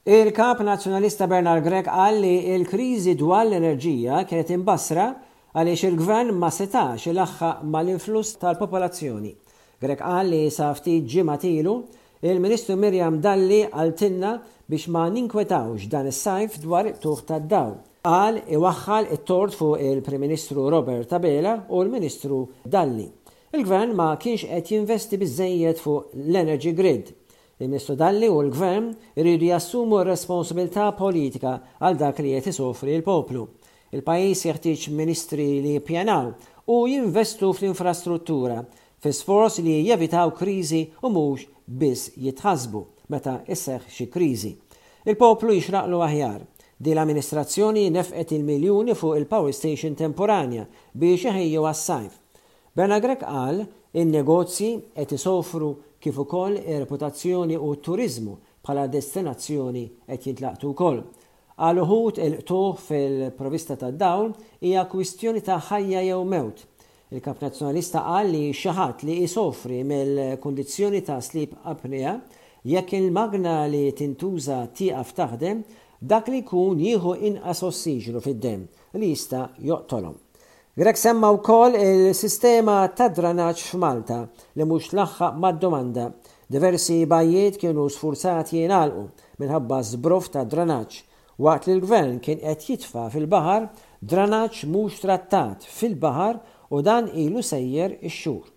Il-Kap Nazzjonalista Bernard Grech qal li l-kriżi dwar l-enerġija kienet imbassra għaliex il-Gvern ma setax ilaħħaq mal-influss tal-popolazzjoni. Grech qal li sa ftit ġimgħat ilu, il-Ministru Miriam Dalli qaltilna biex ma ninkwetawx dan is-sajf dwar il-qtugħ tad-dawl. Qal iwaħħal it-tort fuq il-Prim Ministru Robert Abela u l-Ministru Dalli. Il-Gvern ma kienx qed jinvesti biżżejjed fuq l-energy grid. Il-Ministru Dalli u l-Gvern iridu jassumu r-responsabilità politika għal dak li qed isofri l-poplu. Il-pajjiż jeħtieġ ministri li jippjanaw u jinvestu fl-infrastruttura fi sforz li jevitaw kriżi u mhux biss jitħassbu meta sseħħ xi kriżi. Il-poplu jixraqlu aħjar. Din l-amministrazzjoni nefqet il-miljuni fuq il-power station temporanja biex iħejju għas-sajf. Bernard Grech qal in-negozji qed isofru kif ukoll ir-reputazzjoni u t-turiżmu bħala destinazzjoni qed jintlaqtu wkoll. Għal uħud il-qtugħ fil-provista tad-dawl hija kwistjoni ta' ħajja jew mewt. Il-Kap Nazzjonalista qal li xi ħadd li isofri mill-kundizzjoni ta' sleep apnea, jekk il-magna li tintuża tieqaf taħdem, dak li jkun jieħu inqas ossiġnu fid-demm li jista' joqtolhom. Grech semma wkoll il-sistema tad-dranaġġ f'Malta li mhux tlaħħaq mad-domanda. Diversi bajjiet kienu sfurzati jingħalqu minħabba żbroff ta' dranaġġ, waqt li l-Gvern kien qed jitfa' fil-baħar dranaġġ mhux trattat fil-baħar u dan ilu sejjer ix-xhur.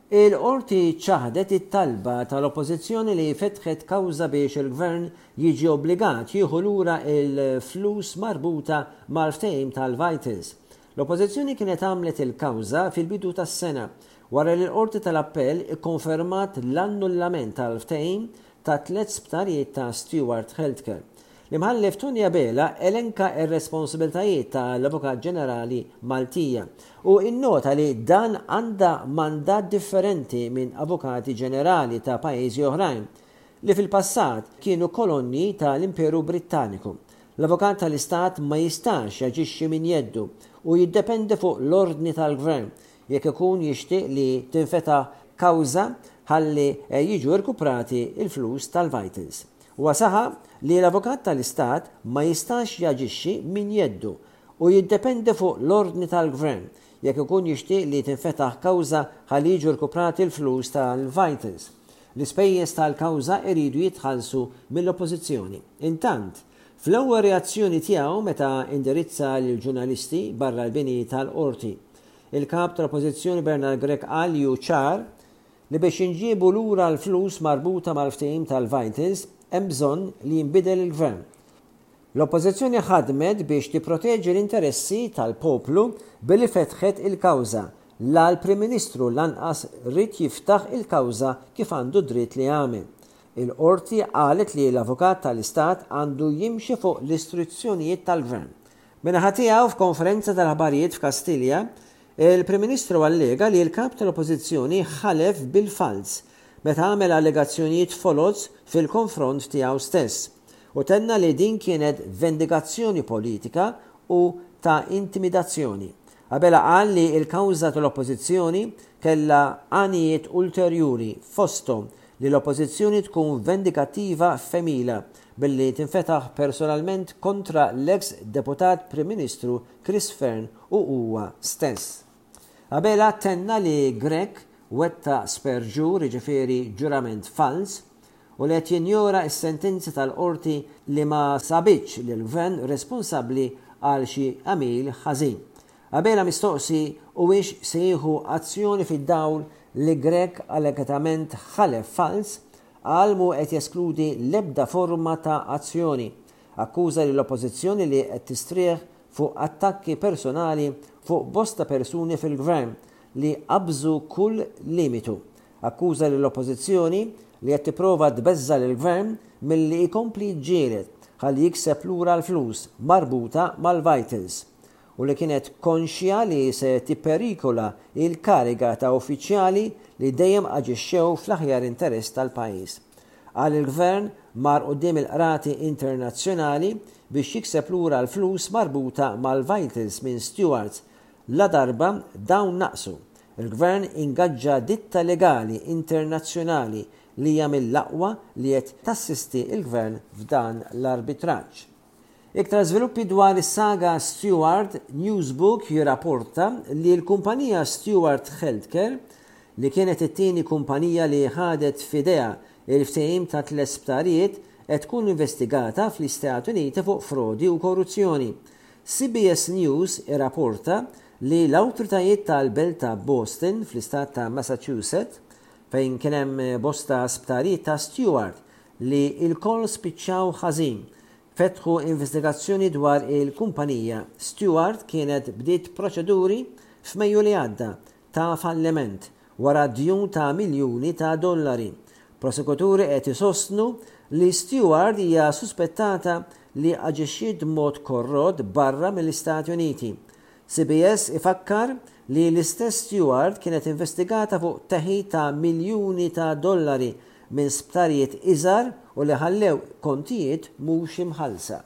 Il-Qorti ċaħdet it-talba tal-Oppożizzjoni li fetħet kawża biex il-Gvern jiġi obbligat jieħu lura l-flus marbuta mal-ftehim tal-Vitals. L-Oppożizzjoni kienet għamlet il-kawża fil-bidu tas-sena wara li l-Qorti tal-Appell ikkonfermat l-annullament tal-ftehim ta' tlett sptarijiet ta' Steward Healthcare. L-Imħallef Tony Abela elenka r-responsabilitajiet ta' l-Avukat Ġenerali Maltija u innota li dan għandha mandat differenti minn Avukati Ġenerali ta' pajjiżi oħrajn li fil-passat kienu kolonji ta' l-Imperu Brittaniku. L-Avukat tal-Istat ma jistax jaġixxi minn jeddu u jiddependi fuq l-ordni tal-Gvern jekk ikun jixtieq li tinfetaħ kawża ħalli jiġu rkuprati l-flus tal-Vitals. Huwa saħaq li l-Avukat tal-Istat ma jistax jaġixxi minn jeddu u jiddependi fuq l-ordni tal-Gvern jekk ikun jixtieq li tinfetaħ kawża ħalli jiġu rkuprati l-flus tal-Vitals. L-ispejjeż tal-kawża jridu jitħallsu mill-Oppożizzjoni. Intant, fl-ewwel reazzjoni tiegħu meta indirizza lill-ġurnalisti barra l-bini tal-Qorti, il-Kap tal-Oppożizzjoni Bernard Grech qal li hu ċar li biex jinġiebu lura l-flus marbuta mal-ftehim tal-Vitals hemm bżonn li jinbidel il-Gvern. L-Oppożizzjoni ħadmet biex tipproteġi l-interessi tal-poplu billi fetħet il-kawża. La l-Prim Ministru lanqas ried jiftaħ il-kawża kif għandu dritt li jagħmel. Il-Qorti qalet li l-Avukat tal-Istat għandu jimxi fuq l-istruzzjonijiet tal-Gvern. Min-naħa tiegħu f'konferenza tal-aħbarijiet f'Kastilja, Il-Prim Ministru allega li l-Kap tal-Oppożizzjoni ħalef bil-falz meta għamel allegazzjonijiet foloz fil-konfront tiegħu stess u tenna li din kienet vendikazzjoni politika u ta' intimidazzjoni. Abela qal li l-kawża tal-Oppożizzjoni kellha għanijiet ulterjuri fosthom li l-Oppożizzjoni tkun vendikattiva f'għemilha billi tinfetaħ personalment kontra l-eks Deputat Prim Ministru Chris Fearne u huwa stess. Abela tenna li Grech wettaq sperġur, jiġifieri ġurament falz, u li qed jinjora s-sentenza tal-Qorti li ma sabitx lill-Gvern responsabbli għal xi għemil ħażin. Abela mistoqsi huwiex se jieħu azzjoni fid-dawl li Grech allegatament ħalef falz, qal mhu qed jeskludi l-ebda forma ta' azzjoni. Akkuża lill-Oppożizzjoni li qed tistrieħ fuq attakki personali fuq bosta persuni fil-Gvern li qabżu kull limitu. Akkuża lill-Oppożizzjoni li qed tipprova tbeżża' lill-Gvern milli jkompli jiġġieled ħalli jikseb lura l-flus marbuta mal-Vitals u li kienet konxja li se tipperikola l-kariga ta' uffiċjali li dejjem aġixxew fl-aħjar interess tal-pajjiż. Qal il-Gvern mar quddiem il-qrati internazzjonali biex jikseb lura l-flus marbuta mal-Vitals minn Stewards ladarba dawn naqsu. Il-Gvern ingaġġa ditta legali internazzjonali li hija mill-aqwa li qed tassisti l-Gvern f'dan l-arbitraġġ. Iktar żviluppi dwar is-saga Steward, Newsbook jirraporta li l-kumpanija Steward Healthcare, li kienet it-tieni kumpanija li ħadet f'idejha il-ftehim ta' tlett sptarijiet, qed tkun investigata fl-Istati Uniti fuq frodi u korruzzjoni. CBS News irraporta li l-awtoritajiet tal-belt ta' Boston fl-istat ta' Massachusetts, fejn kien hemm bosta sptarijiet ta' Steward li lkoll spiċċaw ħażin, fetħu investigazzjoni dwar il-kumpanija. Steward kienet bdiet proċeduri f'Mejju li għadda ta' falliment wara djun ta' miljuni ta' dollari. Prosekuturi qed isostnu li Steward hija suspettata li aġixxiet b'mod korrott barra mill-Istati Uniti. CBS ifakkar li l-istess Steward kienet investigata fuq teħid ta' miljuni ta' dollari minn sptarijiet iżgħar u li ħallew kontijiet mhux imħallsa.